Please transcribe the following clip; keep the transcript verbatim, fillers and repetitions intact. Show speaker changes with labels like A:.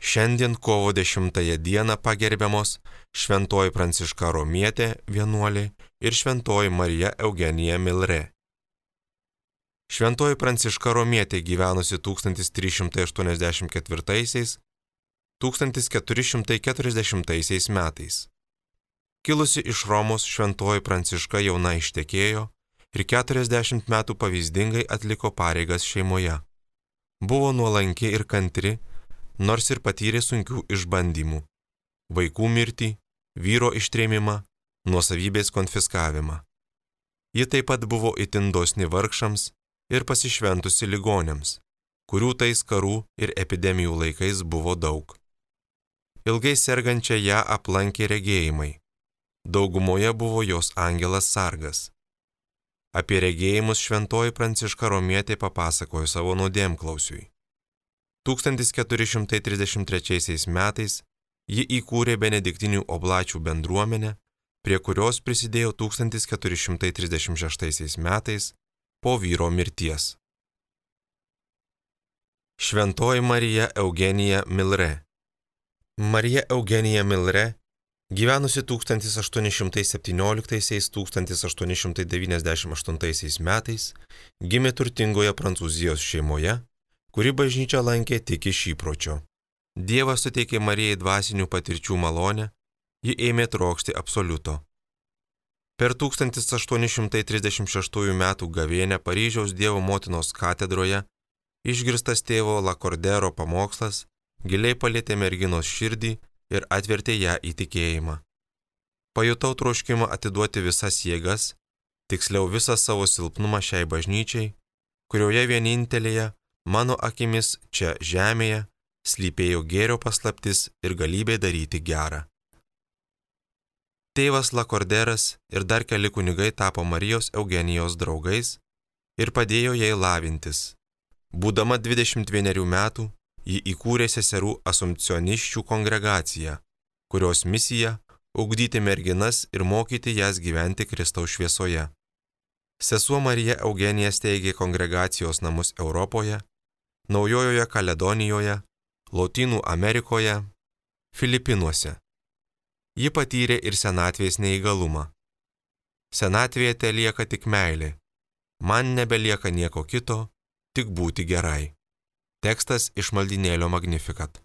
A: Šiandien kovo dešimtąją dieną pagerbiamos šventoji Pranciška Romietė vienuolė ir šventoji Marija Eugenija Milre. Šventoji Pranciška Romietė gyvenusi tūkstantis trys šimtai aštuoniasdešimt ketvirtaisiais - tūkstantis keturi šimtai keturiasdešimtaisiais metais. Kilusi iš Romos, šventoji Pranciška jauna ištekėjo ir keturiasdešimt metų pavyzdingai atliko pareigas šeimoje. Buvo nuolanki ir kantri, nors ir patyrė sunkių išbandymų - vaikų mirtį, vyro ištrėmimą, nuosavybės konfiskavimą. Ji taip pat buvo itin dosni vargšams ir pasišventusi ligoniams, kurių tais karų ir epidemijų laikais buvo daug. Ilgai sergančią ją aplankė regėjimai. Daugumoje buvo jos angelas sargas. Apie regėjimus šventoji Pranciška Romietė papasakojo savo nuodėmklausiui. tūkstantis keturi šimtai trisdešimt trečiaisiais metais ji įkūrė benediktinių oblačių bendruomenę, prie kurios prisidėjo tūkstantis keturi šimtai trisdešimt šeštaisiais metais po vyro mirties. Šventoji Marija Eugenija Milre. Marija Eugenija Milre, gyvenusi tūkstantis aštuoni šimtai septynioliktaisiais - tūkstantis aštuoni šimtai devyniasdešimt aštuntaisiais metais, gimė turtingoje Prancūzijos šeimoje, kuri bažnyčią lankė tik iš įpročio. Dievas suteikė Marijai dvasinių patirčių malonę, ji ėmė trokšti absoliuto. Per tūkstantis aštuoni šimtai trisdešimt šeštųjų metų gavėnią Paryžiaus Dievo motinos katedroje išgirstas tėvo Lakordero pamokslas giliai palietė merginos širdį ir atvertė ją į tikėjimą. Pajutau troškimą atiduoti visas jėgas, tiksliau visą savo silpnumą šiai bažnyčiai, kurioje vienintelėje, mano akimis čia žemėje, slypėjo gėrio paslaptis ir galybė daryti gerą. Tėvas Lakorderas ir dar keli kunigai tapo Marijos Eugenijos draugais ir padėjo jai lavintis. Būdama dvidešimt vienerių metų, ji įkūrė seserų asumpcionisčių kongregaciją, kurios misija – ugdyti merginas ir mokyti jas gyventi Kristaus šviesoje. Sesuo Marija Eugenija steigė kongregacijos namus Europoje, Naujojoje Kaledonijoje, Lotynų Amerikoje, Filipinuose. Ji patyrė ir senatvės neįgalumą. Senatvėje telieka tik meilė. Man nebelieka nieko kito, tik būti gerai. Tekstas iš maldynėlio Magnificat.